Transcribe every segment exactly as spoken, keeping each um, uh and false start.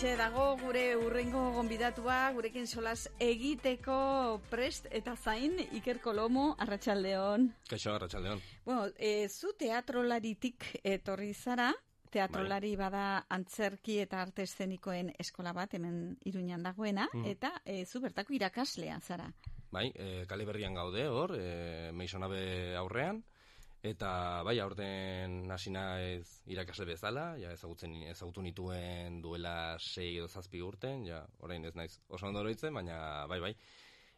Hementxe dago gure urrengo gonbidatua, gurekin solas egiteko prest eta zain, Iker Kolomo, arratsaldeon. Kaixo, arratsaldeon. Bueno, e, zu teatrolaritik etorri zara, teatrolari bai. Bada antzerki eta arte eszenikoen eskola bat, hemen Iruñan dagoena, mm. eta e, zu bertako irakaslea zara. Bai, e, kale berrian gaude hor, e, Meisonabe aurrean, eta bai, aurten hasi naiz irakasle bezala, ja ezagutzen ezagutu nituen duela sei edo zazpi urten, ja orain ez naiz oso ondo oroitzen, baina bai bai.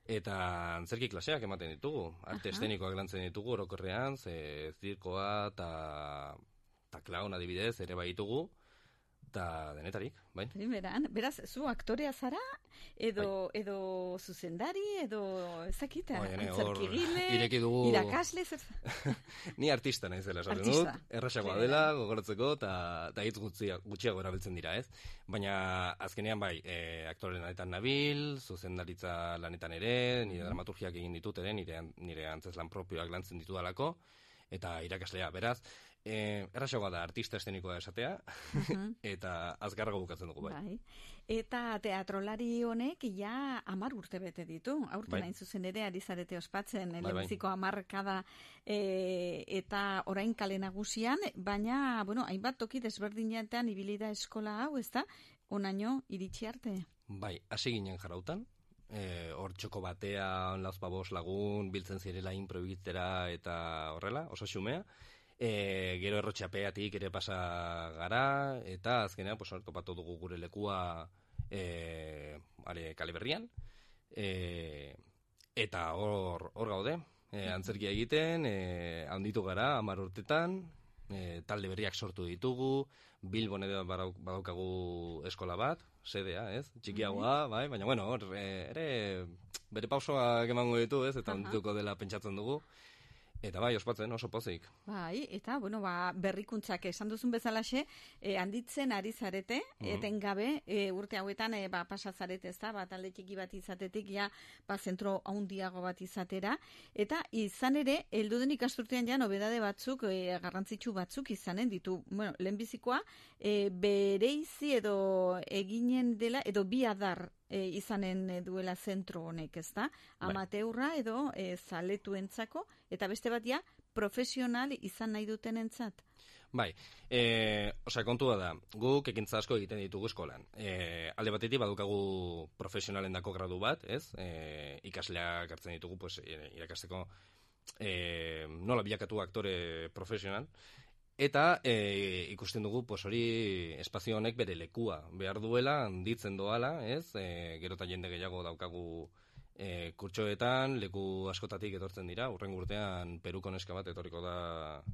Eta antzerki klaseak ematen ditugu, arte eszenikoak lantzen ditugu orokorrean, ze zirkoa eta ta klaun adibidez ere bai ditugu. Eta denetarik, bai. Primeran, beraz, zu aktorea zara, edo, bai. edo zuzendari, edo ezakita, antzerkigile, dugu... irakasle, zer... Ni artista nahi zela, esaten dut, errasagoa dela, gogoratzeko, eta hitz gutxiago erabiltzen dira, ez? Baina, azkenean, bai, e, aktore lanetan nabil, zuzendaritza lanetan ere, nire dramaturgiak egin ditut ere, nire, nire antzeslan propioak lantzen ditu dalako, eta irakaslea, beraz, eh, errasagoa da artista eszenikoa esatea, uh-huh. eta azkarrago bukatzen dugu, bai. bai. Eta teatrolari honek ja hamar urte bete ditu, aurten bai. Hain zuzen ere, ari zarete ospatzen, bai, lehenbiziko bai. hamarkada e, eta orain kale nagusian, baina, bueno, hainbat toki desberdinetan ibili da eskola hau, ez da, onaino iritsi arte? Bai, hasi ginen jarautan, hor e, txoko batean lauzpabos lagun biltzen zirela improbitera eta horrela, oso xumea. E, gero errotxapeatik ere pasa gara, eta azkenean pues, topatu dugu gure lekua e, are, kale berrian. E, eta hor, hor gaude, e, antzerkia egiten, e, handitu gara, hamar urtetan, e, talde berriak sortu ditugu, Bilbon edo badaukagu eskola bat, sedea, ez? Txikiagoa, bai, baina bueno, hor, ere bere pausoak emango ditu, ez? Eta ondituko dela pentsatzen dugu. Eta bai, ospatzen, oso pozik. Bai, eta, bueno, ba, berrikuntzak esan duzun bezalaxe, eh, handitzen ari zarete, mm-hmm. etengabe, e, urte hauetan, e, ba, pasazarete, ez da, ba, talde txiki bat izatetik, ja, ba, zentro haundiago bat izatera, eta izan ere, elduden ikasturtean ja, nobedade batzuk, e, garrantzitsu batzuk izanen ditu. Bueno, lehenbizikoa, e, bereizi edo eginen dela, edo bi adar, E, izanen duela zentro honek, ez da? Amateurra edo e, zaletuentzako, eta beste bat ja, profesional izan nahi duten entzat. Bai, e, osea, kontua da, guk ekintza asko egiten ditugu eskolan. E, alde batetik badukagu profesionalen dako gradu bat, ez? E, ikasleak hartzen ditugu, pues, irakasteko e, nola bilakatu aktore profesional, eta e, ikusten dugu pues hori espazio honek bere lekua behar duela, handitzen doala, ez? E, gero eta jende gehiago daukagu e, kurtsoetan, leku askotatik etortzen dira, urrengo urtean Peruko neska bat etorriko da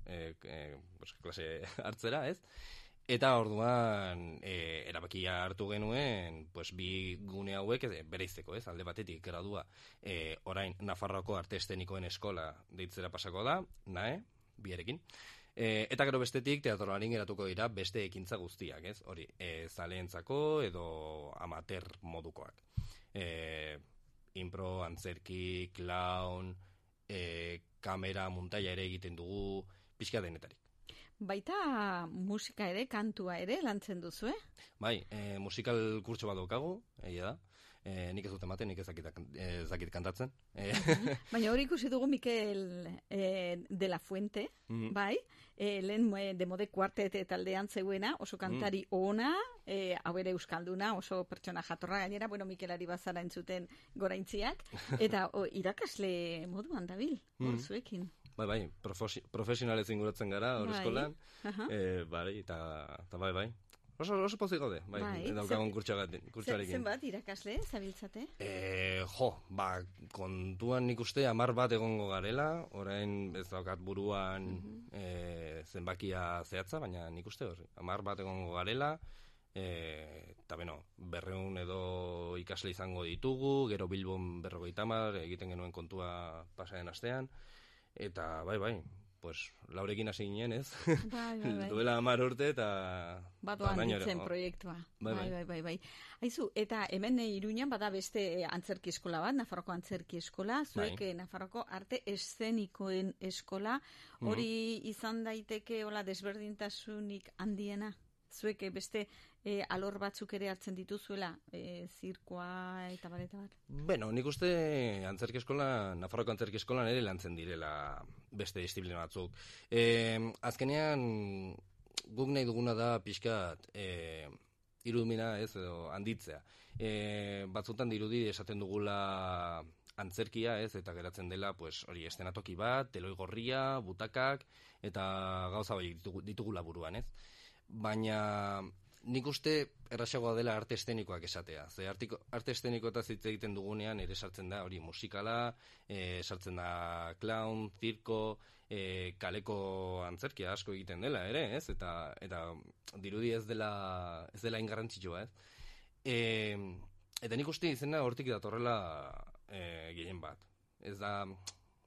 e, e, pues, klase hartzera, ez? Eta orduan e, erabakia hartu genuen, pues bi gune hauek bereizteko, ez? Alde batetik gradua, e, orain Nafarroako arte eszenikoen eskola deitzera pasako da, nae, biarekin. E, eta gero bestetik teatrolarin geratuko dira beste ekintza guztiak, ez? Hori, e, zaleentzako edo amateur modukoak. E, impro, antzerki, clown, e, kamera, muntaia ere egiten dugu, pixka denetarik. Baita musika ere, kantua ere, lantzen duzu, eh? Bai, e, musikal kurtso bat daukagu, egia da. E, nik ez dut ematen, nik ez dakit kantatzen. E. Baina hori ikusi dugu Mikel e, de la Fuente, mm-hmm. bai, e, lehen de mode kuartet taldean zeuena, oso kantari mm. ona, e, hau ere euskalduna, oso pertsona jatorra gainera, bueno, Mikelari bazara entzuten goraintziak, eta o, irakasle moduan dabil, hor mm. zuekin. Bai, bai, profesionalez inguratzen gara, hor eskolan, uh-huh. e, bai, eta, eta bai, bai. Oso, oso pozik gaude, bai, bai daukagun kurtsuarekin. Zenbat irakasle, zabiltzate? E, jo, ba, kontuan nik uste hamar bat egongo garela, orain ez daukat buruan uh-huh. e, zenbakia zehatza, baina nik uste hori, hamar bat egongo garela, e, eta beno, berreun edo ikasle izango ditugu, gero Bilbon berrogeita hamar, egiten genuen kontua pasaren astean, eta bai, bai, pues, laurekin hasi ginen, ez? Bai, bai, bai. Duela hamar urte eta... Batoan ditzen proiektua. Bai, bai, bai, bai, bai. Aizu, eta hemen Iruñan bada beste antzerki eskola bat, Nafarroko antzerki eskola, zuek bai. Nafarroko arte eszenikoen eskola, hori mm-hmm. izan daiteke hola desberdintasunik handiena? Zuek beste e, alor batzuk ere hartzen dituzuela, e, zirkoa eta bar, eta bar. Beno, nik uste antzerki eskola, Nafarroko antzerki eskolan ere lantzen direla beste disiplina batzuk. E, azkenean, guk nahi duguna da pixkat e, irudimena ez edo handitzea. E, batzutan dirudi esaten dugula antzerkia ez eta geratzen dela pues, hori estenatoki bat, teloi gorria, butakak eta gauza bai ditugu, ditugula buruan ez. Baina nik uste errasagoa dela arte estenikoak esatea. Ze artiko, arte estenikoetaz hitz egiten dugunean ere sartzen da hori musikala, e, sartzen da clown, zirko, e, kaleko antzerkia asko egiten dela ere, ez? Eta eta dirudi ez dela ez dela ingarrantzitsua, ez? E, eta nik uste izena hortik datorrela e, gehien bat. Ez da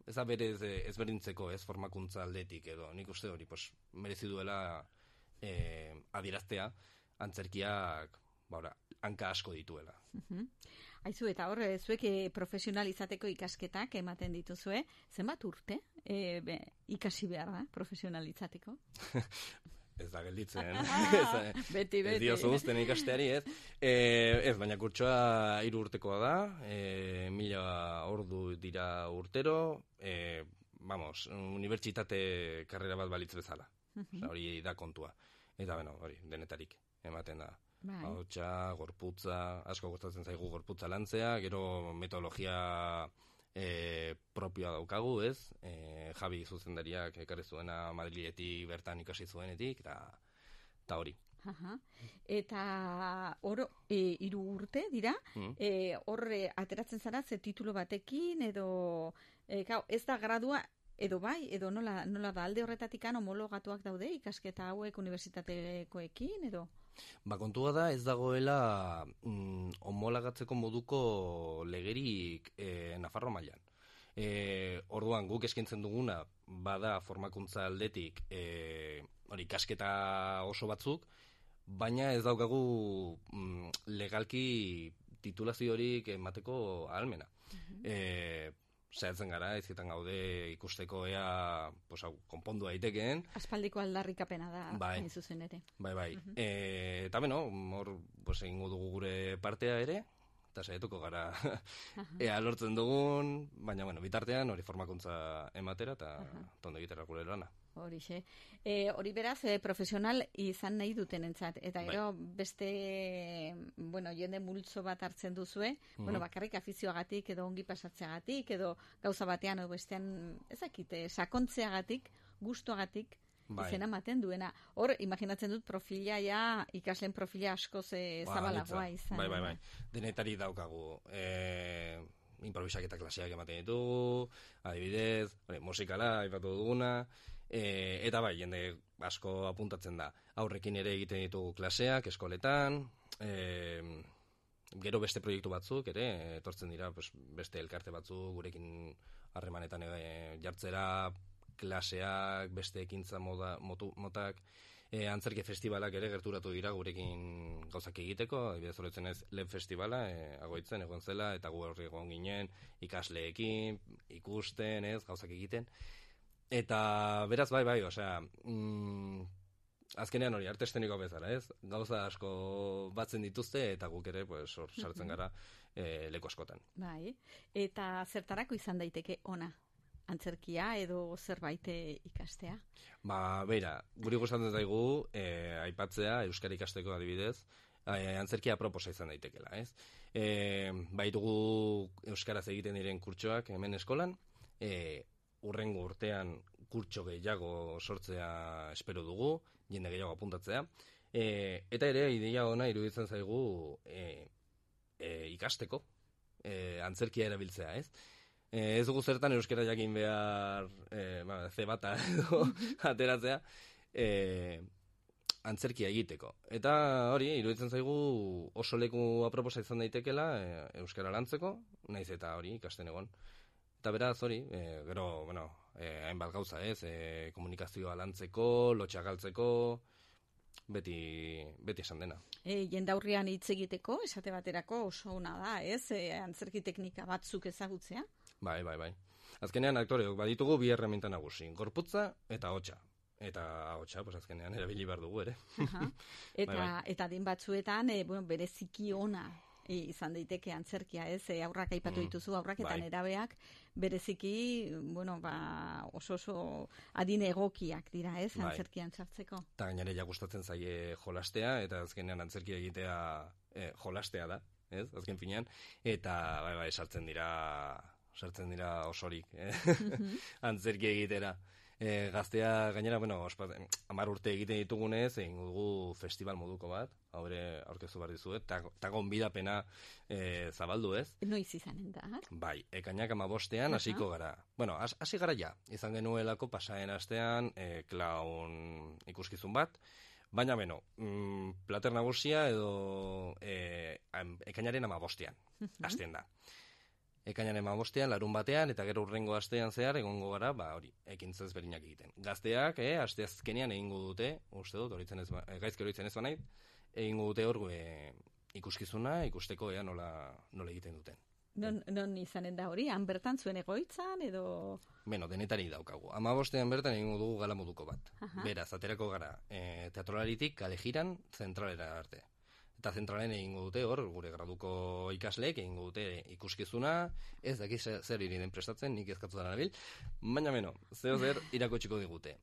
ez da berez ezberdintzeko, ez formakuntza aldetik edo. Nik uste hori pues merezi duela e, adieraztea antzerkiak baura, hanka asko dituela. Uh-huh. Aizu, eta hor, zuek profesional izateko ikasketak ematen dituzue, zenbat urte e, be, ikasi behar da, profesional izateko? Ez da gelditzen. ez, beti, beti. Ez diozu guzten ikasteari, ez? E, ez, baina kurtsoa hiru urtekoa da, e, mila ordu dira urtero, e, vamos, unibertsitate karrera bat balitz bezala. Uh-huh. Osa, hori da kontua. Eta, bueno, hori, denetarik ematen da. Bai. Ahotsa, gorputza, asko gustatzen zaigu gorputza lantzea, gero metodologia e, propioa daukagu, ez? E, Javi zuzendariak ekarri zuena Madriletik bertan ikasi zuenetik, eta, eta hori. Aha. Eta hor e, hiru urte dira, mm. e, hor e, ateratzen zara ze titulo batekin, edo e, gau, ez da gradua, edo bai, edo nola, nola da alde horretatik homologatuak daude ikasketa hauek unibertsitatekoekin, edo? Ba, kontua da ez dagoela mm, homolagatzeko moduko legerik e, Nafarro mailan. E, orduan, guk eskaintzen duguna bada formakuntza aldetik e, hori ikasketa oso batzuk, baina ez daukagu mm, legalki titulaziorik emateko ahalmena. Uh-huh. E, Zeratzen gara, ezketan gaude ikusteko ea pues, konpondu daitekeen. Aspaldiko aldarrikapena da, bai. hain zuzen ere. Bai, bai. Uh-huh. E, eta beno, hor pues, egingo dugu gure partea ere, eta saietuko gara uh-huh. ea lortzen dugun, baina bueno, bitartean hori formakuntza ematera eta uh-huh. tondo egitera gure lana. Horixe. E, hori beraz, e, profesional izan nahi dutenentzat. Eta gero bai. Beste, bueno, jende multzo bat hartzen duzue, uh-huh. bueno, bakarrik afizioagatik, edo ongi pasatzeagatik, edo gauza batean, edo bestean, ezakite, sakontzeagatik, gustuagatik, bai. Izena ematen duena. Hor, imaginatzen dut profila, ja, ikasleen profila askoz e, ba, zabalagoa izan. Bai, bai, bai. Denetari daukagu. E, improvisaketa klaseak ematen ditugu, adibidez, bai, musikala, aipatu duguna, E, eta bai, jende asko apuntatzen da. Aurrekin ere egiten ditugu klaseak, eskoletan, e, gero beste proiektu batzuk, ere, etortzen dira pues, beste elkarte batzuk, gurekin harremanetan e, jartzera, klaseak, beste ekintza moda, motu, motak, e, antzerki festivalak ere gerturatu dira gurekin gauzak egiteko, adibidez horretzen ez lehen festivala, e, agoitzen egon zela, eta gu horri egon ginen, ikasleekin, ikusten, ez, gauzak egiten. Eta beraz, bai, bai, osea, mm, azkenean hori, arte esteniko bezala, ez? Gauza asko batzen dituzte, eta guk ere, pues, hor sartzen gara e, leku askotan. Bai, eta zertarako izan daiteke ona? Antzerkia edo zerbait ikastea? Ba, beira, guri gustatzen zaigu, e, aipatzea, euskara ikasteko adibidez, e, antzerkia proposa izan daitekela, ez? E, baitugu euskaraz egiten diren kurtsoak hemen eskolan, e, urrengo urtean kurtso gehiago sortzea espero dugu, jende gehiago apuntatzea. E, eta ere, ideia ona iruditzen zaigu e, e, ikasteko, e, antzerkia erabiltzea, ez? E, ez dugu zertan euskara jakin behar e, ba, ze bata edo ateratzea, e, antzerkia egiteko. Eta hori, iruditzen zaigu oso leku aproposa izan daitekela e, euskara lantzeko, naiz eta hori ikasten egon. Eta beraz hori, e, gero, bueno, e, hainbat gauza ez, e, komunikazioa lantzeko, lotxa galtzeko, beti, beti esan dena. E, jendaurrean hitz egiteko, esate baterako oso ona da, ez? E, antzerki teknika batzuk ezagutzea? Bai, bai, bai. Azkenean aktoreok baditugu bi erreminta nagusi, gorputza eta hotsa. eta ahotsa, pues azkenean erabili behar dugu ere. Eta, bai, bai. Eta din batzuetan, e, bueno, bereziki ona e, izan daiteke antzerkia, ez? E, aurrak aipatu mm, dituzu, aurrak eta bai. Nerabeak bereziki, bueno, ba, oso oso adin egokiak dira, ez? Bai. Antzerkian sartzeko. Eta gainera ja gustatzen zaie jolastea, eta azkenean antzerkia egitea e, jolastea da, ez? Azken finean, eta bai, bai, sartzen dira sartzen dira osorik, eh? Mm-hmm. Antzerki egitera. E, gaztea, gainera, bueno, hamar urte egiten ditugunez, egin dugu festival moduko bat, haure aurkeztu behar dizuet, eta gonbidapena e, zabaldu ez. Noiz izanen da? Bai, ekainak amabostean hasiko uh-huh. gara. Bueno, hasi gara ja, izan genuelako pasaen astean e, klaun ikuskizun bat, baina beno, mm, plater nagusia edo e, ekainaren amabostean, uh-huh. hasten da. Ekainaren amabostean, larun batean, eta gero urrengo astean zehar, egongo gara, ba, hori, ekintza ezberdinak egiten. Gazteak, eh, aste azkenean egingo dute, uste dut, horitzen ez, gaizki horitzen ez banait, egingo dute hor e, ikuskizuna, ikusteko ea nola, nola egiten duten. Non, non izanen da hori, han bertan zuen egoitzan, edo... Beno, denetari daukagu. Amabostean bertan egingo dugu gala moduko bat. Aha. Beraz, aterako gara, e, teatrolaritik kale jiran zentralera arte. Eta zentralen egingo dute hor, gure graduko ikasleek egingo dute ikuskizuna, ez dakiz zer iriren prestatzen, nik ezkatzutan arabil, baina beno, zeo zer irakotxiko digute.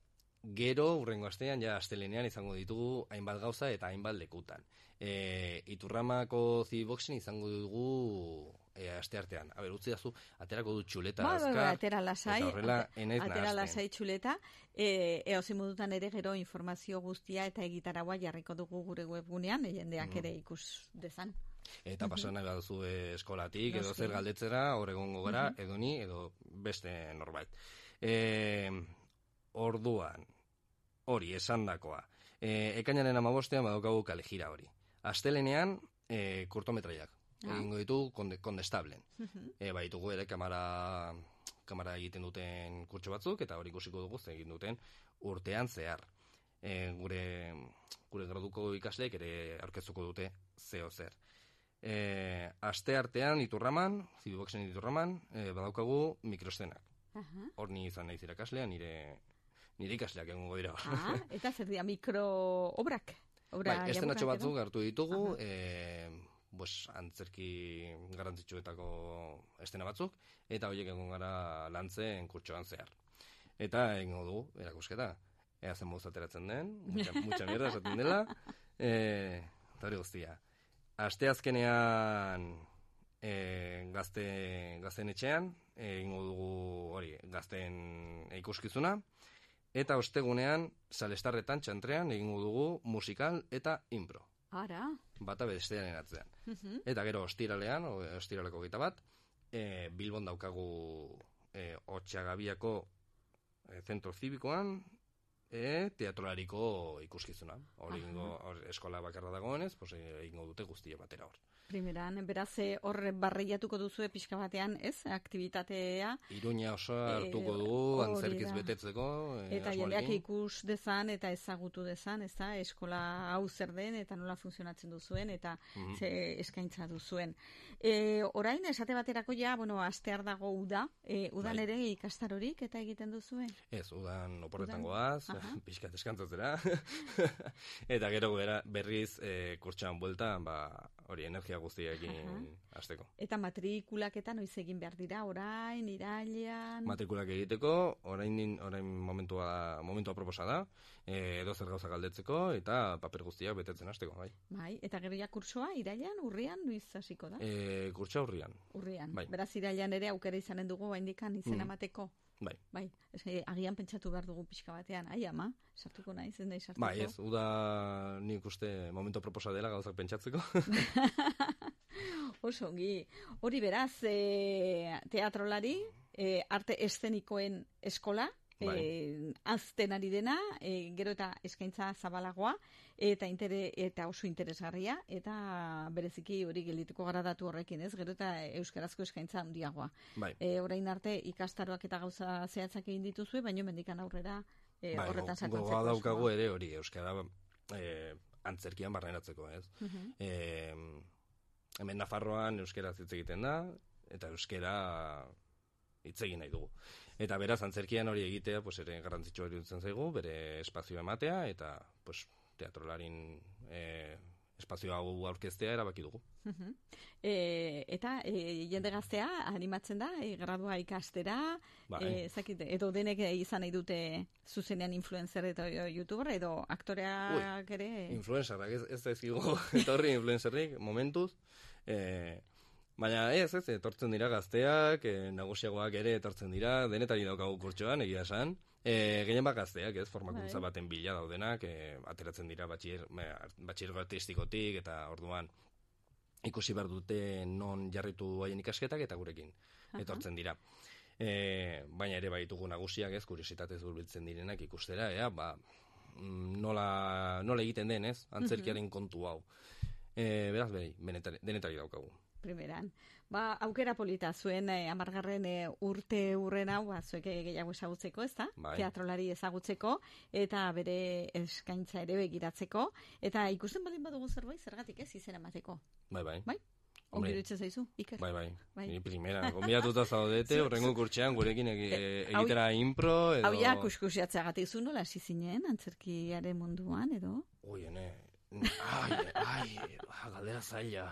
Gero, urrengo astean, ja astelenean izango ditugu hainbat gauza eta hainbat lekutan. E, Iturramako Zibiboxen izango dugu e, aste artean. A ber, utzi dazu, aterako du txuleta ba, azkar, ba, atera lasai, eta horrela enaiz nahazten. Atera lasai txuleta, e, eozi modutan ere gero informazio guztia eta egitaragoa jarriko dugu gure webgunean, jendeak mm. ere ikus dezan. Eta pasan nahi baduzu eskolatik, edo zer galdetzera, hor egongo gara, uh-huh. edo ni, edo beste norbait. E, orduan, hori, esandakoa. E, ekainaren amabostean badaukagu kalejira hori. Astelenean, e, kurtometraiak. Ah. Egingo ditu konde, kondestablen. Uh-huh. E, baitugu ere kamara, kamara egiten duten kurtso batzuk, eta hori ikusiko dugu egin duten urtean zehar. E, gure, gure graduko ikasleek ere aurkeztuko dute zeo zer. E, aste artean Iturraman, Zibiboxen Iturraman, e, badaukagu mikrostenak. Uh-huh. Hor ni izan naiz irakaslea, nire, nire ikasleak egongo dira. Ah, eta zer dira mikroobrak? Bai, estenatxo batzuk hartu ditugu, uh-huh. e, Bos, antzerki garrantzitsuetako estena batzuk, eta horiek egon gara lantzen kurtsoan zehar. Eta egingo dugu, erakusketa, ea zen moduz ateratzen den, mucha, mucha mierda esaten dela, e, eta hori guztia. Aste azkenean e, gazte, gazten etxean, egingo dugu hori, gazten ikuskizuna, eta ostegunean, salestarretan, txantrean, egingo dugu musikal eta impro. Ara. Bata bestearen atzean. Uh-huh. Eta gero ostiralean, ostiraleko gita bat, e, Bilbon daukagu e, Otxagabiako e, zentro zibikoan, e, teatrolariko ikuskizuna. Hori uh-huh. eskola bakarra dagoenez, pues, egingo dute guztia batera hor. Primeran, beraz, hor barreiatuko duzue pixka batean, ez? Aktibitatea. Iruña oso hartuko dugu, e, antzerkiz betetzeko. E, eta jendeak ikus dezan eta ezagutu dezan, ez da? Eskola hau zer den eta nola funtzionatzen duzuen eta mm-hmm. ze eskaintza duzuen. E, orain, esate baterako ja, bueno, astear dago uda, e, udan bai. Ere ikastarorik eta egiten duzuen? Ez, udan oporretan goaz, pixka deskantzatzera. Eta gero berriz e, kurtsan bueltan, ba, hori energia guztiekin hasteko. Eta matrikulak eta noiz egin behar dira, orain, irailean? Matrikulak egiteko, orain, orain momentua, momentua proposa da, e, edo zer gauza galdetzeko, eta paper guztiak betetzen hasteko, bai. Bai, eta gero ja kursoa, irailean, urrian, noiz hasiko da? E, kurtsoa urrian. Urrian, bai. Beraz irailean ere aukera izanen dugu, haindikan izena emateko. Mm. Bai. Bai, ez, agian pentsatu behar dugu pixka batean, ai ama, sartuko naiz, ez nahi sartuko. Bai, ez, uda nik uste momento proposa dela gauzak pentsatzeko. Oso, ongi. Hori beraz, e, teatrolari, e, arte eszenikoen eskola, bai. E, azten ari dena, e, gero eta eskaintza zabalagoa, eta intere, eta oso interesgarria, eta bereziki hori geldituko gara datu horrekin, ez? Gero eta euskarazko eskaintza handiagoa. Bai. E, orain arte ikastaroak eta gauza zehatzak egin dituzue, baina mendikan aurrera e, bai, horretan sakontzeko. Gogoa daukagu ere hori, euskara e, antzerkian barrenatzeko, ez? Uh-huh. E, hemen Nafarroan euskara hitz egiten da, eta euskara hitz egin nahi dugu. Eta beraz, antzerkian hori egitea, pues, ere garrantzitsua iruditzen zaigu, bere espazioa ematea, eta pues, teatrolarin e, espazio hau aurkeztea erabaki dugu. Uh-huh. E, eta e, jende gaztea animatzen da, e, gradua ikastera, bai. e, zakit, edo denek izan nahi dute zuzenean influencer eta youtuber, edo aktoreak ere... Influencerrak, ez, ez da ezkigu, eta horri influencerrik, momentuz, e, baina ez, ez, etortzen dira gazteak, e, nagusiagoak ere etortzen dira, denetari daukagu kurtsoan, egia esan, e, gehien bat gazteak, ez, formakuntza baten bila daudenak, e, ateratzen dira batxier, batxiergo artistikotik, eta orduan ikusi behar dute non jarritu haien ikasketak, eta gurekin etortzen dira. E, baina ere baitugu nagusiak, ez, kuriositatez hurbiltzen direnak ikustera, ea, ba, nola, nola egiten den, ez, antzerkiaren kontu hau. E, beraz, behi, denetari daukagu. Primeran. Ba, aukera polita zuen eh, amargarren eh, urte urren hau, ba, zuek gehiago ezagutzeko, ez da? Bai. Teatrolari ezagutzeko, eta bere eskaintza ere begiratzeko, eta ikusten baldin badugu zerbait, zergatik ez izena emateko. Bai, bai. Bai? Ongi iruditzen zaizu, Iker? Bai, bai. bai. Ni primera, gombidatuta zaudete, horrengo kurtsean gurekin egi, egitera impro, edo... Hau ja, kuskusiatzeagatik zu nola hasi zinen, antzerkiaren munduan, edo? Ui, ene, ai, ai, galdera zaila.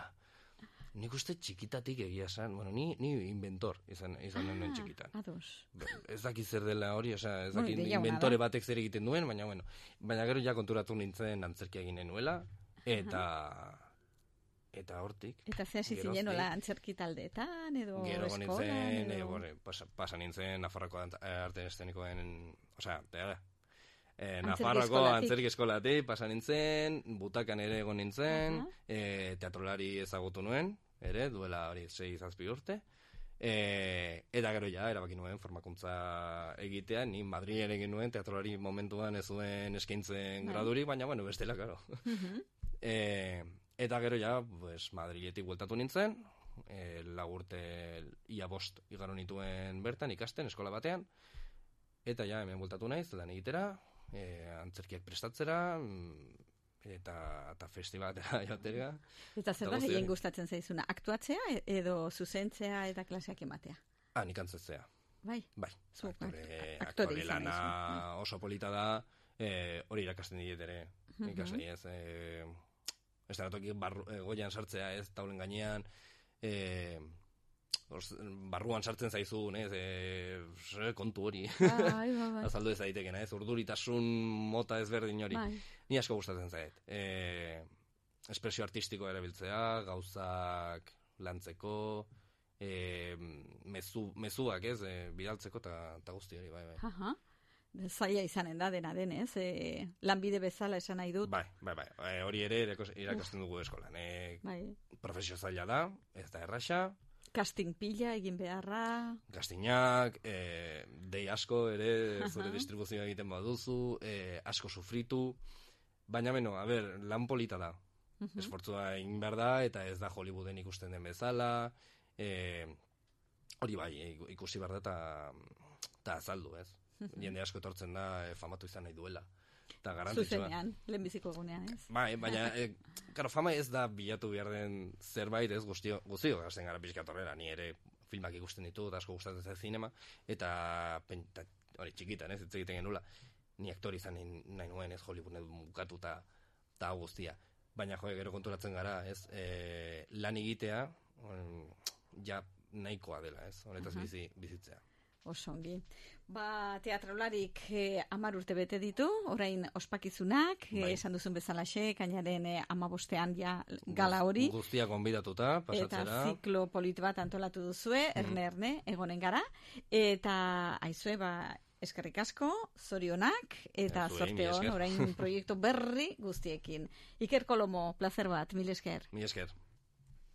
Nik uste txikitatik egia esan, bueno, ni, ni inventor izan, izan ah, txikitan. Ados. Ez dakit zer dela hori, oza, ez dakit bueno, inventore batek zer egiten duen, baina, bueno, baina gero ja konturatu nintzen antzerkia egin nuela, eta... Eta hortik. Eta ze hasi zinen nola antzerki taldeetan, edo gero eskolan, nintzen, edo... E, bore, pasa, pasa nintzen Nafarroko arte eszenikoen, osea, teara, E, Nafarroko antzerki eskolatik pasa nintzen, butakan ere egon nintzen, uh-huh. e, teatrolari ezagutu nuen, ere, duela hori sei zazpi urte, e, eta gero ja, erabaki nuen formakuntza egitea, ni Madrid ere egin nuen, teatrolari momentuan ez zuen eskaintzen gradurik, baina, bueno, bestela, karo. Uh-huh. e, eta gero ja, pues, Madriletik bueltatu nintzen, e, lagurte ia bost igaro nituen bertan, ikasten, eskola batean, eta ja, hemen bueltatu naiz, lan egitera, E, antzerkiak prestatzera eta, eta festibatera jatera. Eta zer da gehien gustatzen zaizuna? Aktuatzea edo zuzentzea eta klaseak ematea? Ah, nik antzetzea. Bai? Bai. Zuk, aktore, aktore lana oso polita da, e, hori irakasten diet ere. Uh-huh. Ikasei ez, e, ez da toki e, goian sartzea ez, taulen gainean, e, Os, barruan sartzen zaizu, ez, e, kontu hori. Bai, bai, bai. Azaldu ez daitekena, ez, urduritasun mota ezberdin hori. Bai. Ni asko gustatzen zait. E, espresio artistikoa erabiltzea, gauzak lantzeko, e, mezu, mezuak, ez, e, bidaltzeko eta guzti hori, bai, bai. Aha. Zaila izanen da dena denez, e, lanbide bezala esan nahi dut. Bai, bai, bai. E, hori ere irakasten dugu eskolan. E, bai. Profesio zaila da, ez da erraxa. Casting pila egin beharra. Castingak, e, dei asko ere, zure distribuzioa egiten baduzu, e, asko sufritu, baina beno, a ber, lan polita da. Uh-huh. Esfortzua egin behar da, eta ez da Hollywooden ikusten den bezala, e, hori bai, ikusi behar da, eta azaldu, ez? Uh-huh. Jende asko etortzen da, e, famatu izan nahi duela. Zuzenean, lehenbiziko egunean, ez? Bai, baina, e, karo, fama ez da bilatu behar den zerbait, ez, guztio, guztio gazten gara pixkatorrera, ni ere filmak ikusten ditu, eta asko gustatzen zen zinema, eta, penta, hori, txikitan, ez, ez egiten genula, ni aktori izan nahi nuen, ez, Hollywooden bukatu eta guztia. Baina, jo, gero konturatzen gara, ez, e, lan egitea, on, ja nahikoa dela, ez, honetaz uh-huh. bizi, bizitzea. Osongi. Ba, teatrolarik eh, amar urte bete ditu, orain ospakizunak, bai. eh, esan duzun bezalaxe, kainaren eh, amabostean ja gala hori. Guztia konbidatuta, pasatzera. Eta ziklo polit bat antolatu duzue, mm. erne-erne, egonen gara. Eta, aizue, ba, eskerrik asko, zorionak, eta zorte hon, orain proiektu berri guztiekin. Iker Kolomo, placer bat, mil esker. Mil esker.